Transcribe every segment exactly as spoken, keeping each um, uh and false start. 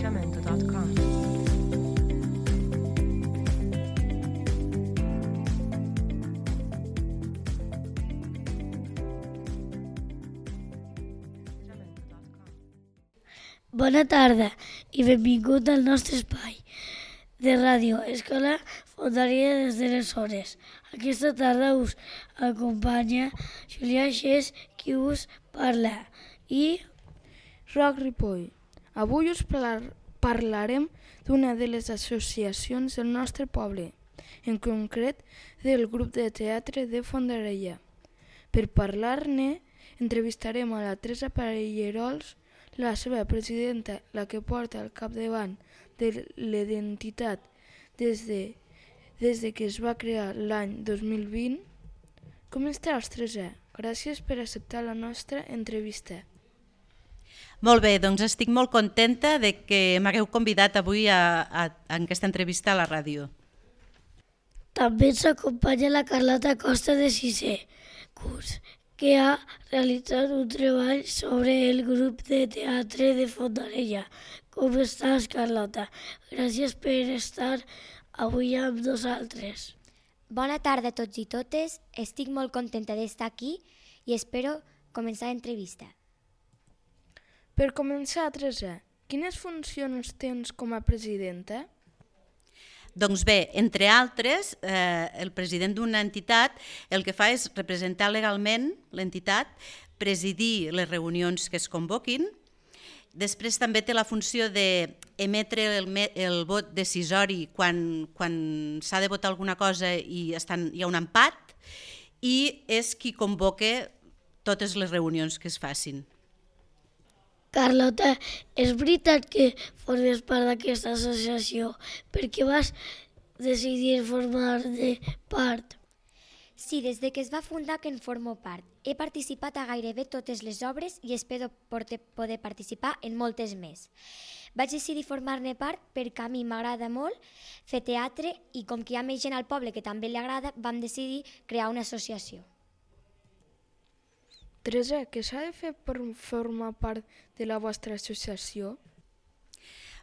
jamendo punt com. Bona tarda i benvingut al nostre espai de ràdio Escola Fondària des de les Hores. Aquesta tarda us acompanya Julià Xés, qui us parla, i Roc Ripoll. Avui us parlarem d'una de les associacions del nostre poble, en concret del grup de teatre de Fondarella. Per parlar-ne, entrevistarem a la Teresa Pallerols, la seva presidenta, la que porta al capdavant de l'entitat des de, des de que es va crear l'any dos mil vint. Com estàs, Teresa? Gràcies per acceptar la nostra entrevista. Molt bé, doncs estic molt contenta de que m'hagueu convidat avui a, a, a aquesta entrevista a la ràdio. També ens acompanya la Carlota Costa de sisè curs, que ha realitzat un treball sobre el grup de teatre de Fondarella. Com estàs, Carlota? Gràcies per estar avui amb nosaltres. Bona tarda a tots i totes. Estic molt contenta d'estar aquí i espero començar l'entrevista. Per començar, Teresa, quines funcions tens com a presidenta? Doncs bé, entre altres, eh, el president d'una entitat el que fa és representar legalment l'entitat, presidir les reunions que es convoquin. Després també té la funció d'emetre el, el vot decisori quan, quan s'ha de votar alguna cosa i estan, hi ha un empat, i és qui convoca totes les reunions que es facin. Carlota, és veritat que formes part d'aquesta associació perquè vas decidir formar-ne part? Sí, des de que es va fundar que en formo part. He participat a gairebé totes les obres i espero poder participar en moltes més. Vaig decidir formar-ne part perquè a mi m'agrada molt fer teatre i com que hi ha més gent al poble que també li agrada, vam decidir crear una associació. Teresa, què s'ha de fer per formar part de la vostra associació?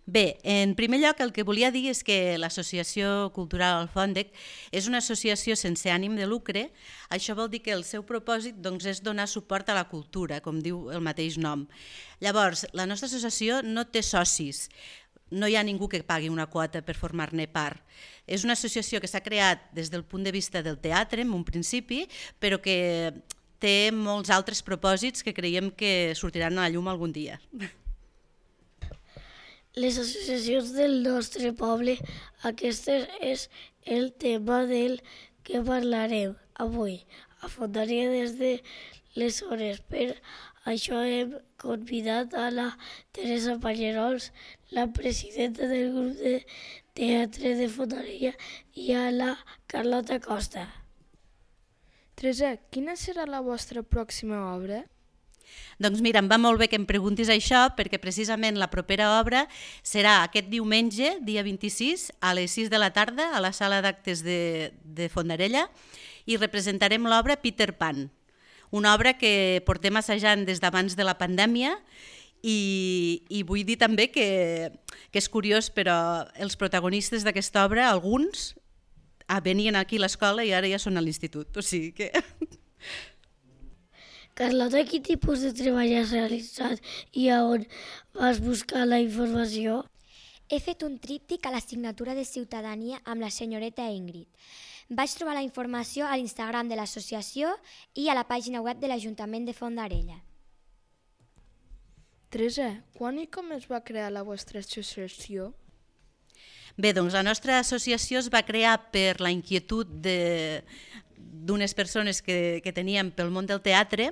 Bé, en primer lloc el que volia dir és que l'Associació Cultural Alfòndec és una associació sense ànim de lucre. Això vol dir que el seu propòsit doncs, és donar suport a la cultura, com diu el mateix nom. Llavors, la nostra associació no té socis, no hi ha ningú que pagui una quota per formar-ne part. És una associació que s'ha creat des del punt de vista del teatre, en un principi, però que té molts altres propòsits que creiem que sortiran a la llum algun dia. Les associacions del nostre poble, aquest és el tema del que parlarem avui a Fondarella des de les Hores. Per això hem convidat a la Teresa Pallerols, la presidenta del grup de teatre de Fondarella, i a la Carlota Costa. Teresa, quina serà la vostra pròxima obra? Doncs mira, em va molt bé que em preguntis això perquè precisament la propera obra serà aquest diumenge, dia vint-i-sis, a les sis de la tarda, a la sala d'actes de, de Fondarella, i representarem l'obra Peter Pan, una obra que portem assajant des d'abans de la pandèmia i, i vull dir també que, que és curiós, però els protagonistes d'aquesta obra, alguns, Ah, venien aquí a l'escola i ara ja són a l'institut, o sigui que... Carlota, quin tipus de treball has realitzat i a on vas buscar la informació? He fet un tríptic a l'assignatura de Ciutadania amb la senyoreta Ingrid. Vaig trobar la informació a l'Instagram de l'associació i a la pàgina web de l'Ajuntament de Fondarella. Teresa, quan i com es va crear la vostra associació? Bé, doncs la nostra associació es va crear per la inquietud d'unes persones que, que teníem pel món del teatre.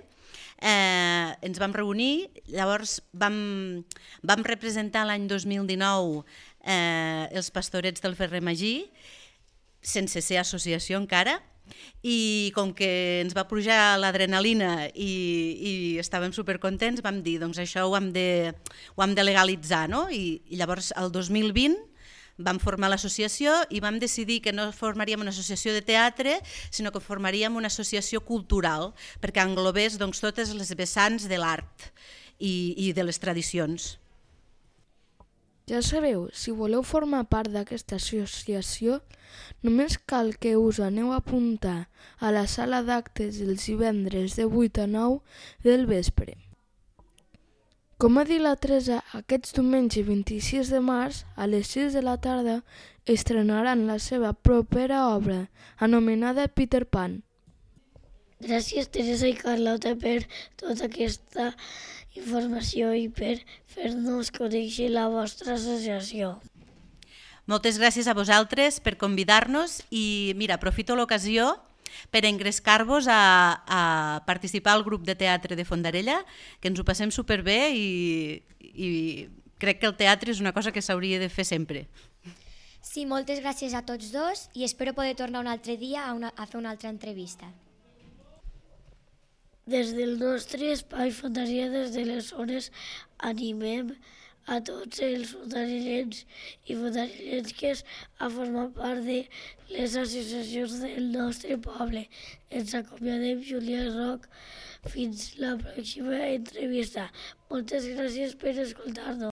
Eh, ens vam reunir, llavors vam, vam representar l'any dos mil dinou eh, els Pastorets del Ferrer Magí, sense ser associació encara, i com que ens va pujar l'adrenalina i, i estàvem supercontents, vam dir, doncs això ho hem de, ho hem de legalitzar, no? I, i llavors el dos mil vint vam formar l'associació i vam decidir que no formaríem una associació de teatre, sinó que formaríem una associació cultural, perquè englobés doncs, totes les vessants de l'art i, i de les tradicions. Ja sabeu, si voleu formar part d'aquesta associació, només cal que us aneu a apuntar a la sala d'actes els divendres de vuit a nou del vespre. Com ha dit la Teresa, aquest diumenge vint-i-sis de març, a les sis de la tarda, estrenaran la seva propera obra, anomenada Peter Pan. Gràcies, Teresa i Carlota, per tota aquesta informació i per fer-nos conèixer la vostra associació. Moltes gràcies a vosaltres per convidar-nos i, mira, aprofito l'ocasió per engrescar-vos a, a participar al grup de teatre de Fondarella, que ens ho passem superbé i, i crec que el teatre és una cosa que s'hauria de fer sempre. Sí, moltes gràcies a tots dos i espero poder tornar un altre dia a, una, a fer una altra entrevista. Des del nostre espai Fondaria, des de les zones, animem a tots els fondarellencs i fondarellenques a formar part de les associacions del nostre poble. Ens acomiadem, Júlia Roc. Fins la pròxima entrevista. Moltes gràcies per escoltar-nos.